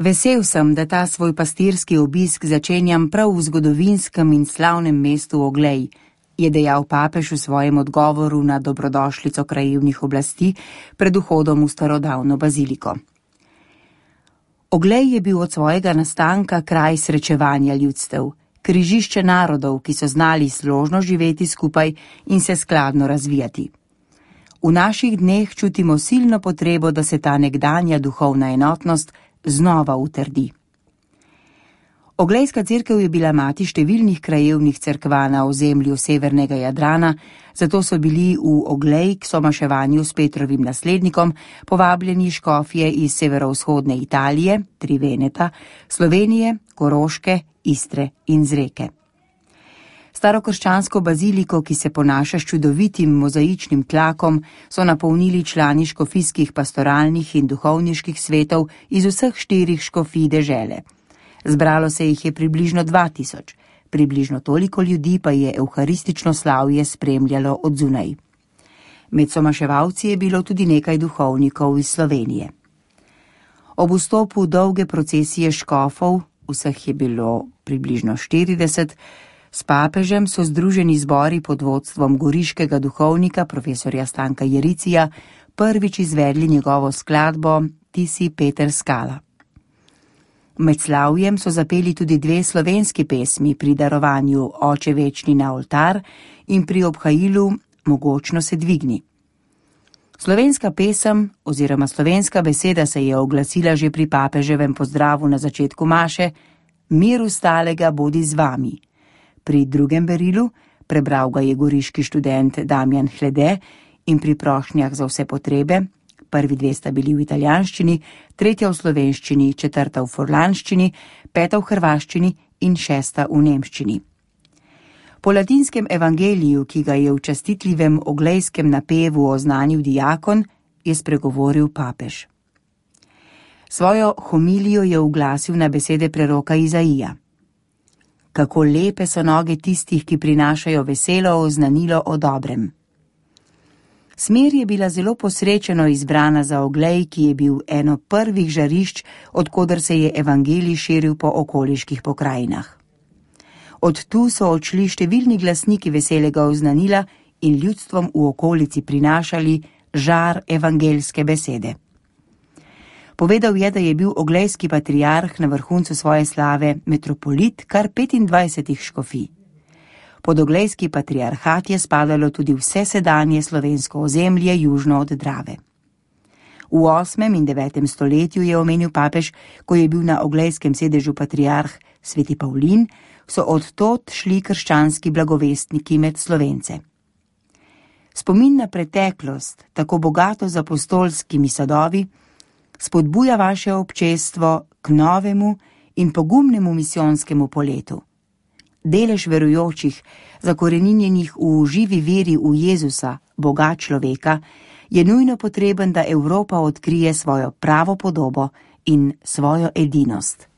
Vesel sem, da ta svoj pastirski obisk začenjam prav v zgodovinskem in slavnem mestu Oglej, je dejal papež v svojem odgovoru na dobrodošlico krajevnih oblasti pred vhodom v starodavno baziliko. Oglej je bil od svojega nastanka kraj srečevanja ljudstev, križišče narodov, ki so znali složno živeti skupaj in se skladno razvijati. V naših dneh čutimo silno potrebo, da se ta nekdanja duhovna enotnost znova utrdi. Oglejska cerkev je bila mati številnih krajevnih cerkva na ozemlju severnega Jadrana, zato so bili v Oglej k somaševanju s Petrovim naslednikom povabljeni škofje iz severovzhodne Italije, Triveneta, Slovenije, Koroške, Istre in Zreke. Starokrščansko baziliko, ki se ponaša s čudovitim mozaičnim tlakom, so napolnili člani škofijskih pastoralnih in duhovniških svetov iz vseh 4 škofij dežele. Zbralo se jih je približno 2000, približno toliko ljudi pa je evharistično slavje spremljalo od zunaj. Med somaševalci je bilo tudi nekaj duhovnikov iz Slovenije. Ob vstopu dolge procesije škofov, vseh je bilo približno 40, s papežem so združeni zbori pod vodstvom goriškega duhovnika profesorja Stanka Jericija prvič izvedli njegovo skladbo Ti si Peter Skala. Med slavjem so zapeli tudi 2 slovenski pesmi pri darovanju Oče večni na oltar in pri obhajilu Mogočno se dvigni. Slovenska pesem oziroma slovenska beseda se je oglasila že pri papeževem pozdravu na začetku maše: Mir ustalega bodi z vami. Pri drugem berilu, prebral ga je goriški študent Damjan Hlede, in pri prošnjah za vse potrebe, prvi 2 sta bili v italijanščini, 3 v slovenščini, 4 v furlanščini, 5 v hrvaščini in 6 v nemščini. Po latinskem evangeliju, ki ga je v častitljivem oglejskem napevu oznanil diakon, je spregovoril papež. Svojo homilijo je uglasil na besede preroka Izaija. Kako lepe so noge tistih, ki prinašajo veselo oznanilo o dobrem. Smer je bila zelo posrečeno izbrana za Oglej, ki je bil eno prvih žarišč, odkoder se je evangelij širil po okoliških pokrajinah. Od tu so odšli številni glasniki veselega oznanila in ljudstvom v okolici prinašali žar evangeljske besede. Povedal je, da je bil oglejski patriarh na vrhuncu svoje slave metropolit kar 25 škofij. Pod oglejski patriarhat je spadalo tudi vse sedanje slovensko ozemlje južno od Drave. V 8. in 9. stoletju je omenil papež, ko je bil na oglejskem sedežu patriarh sveti Pavlin, so odtod šli krščanski blagovestniki med Slovence. Spomin na preteklost, tako bogato z apostolskimi sadovi, spodbuja vaše občestvo k novemu in pogumnemu misijonskemu poletu. Delež verujočih, zakoreninjenih v živi veri v Jezusa, Boga človeka, je nujno potreben, da Evropa odkrije svojo pravo podobo in svojo edinost.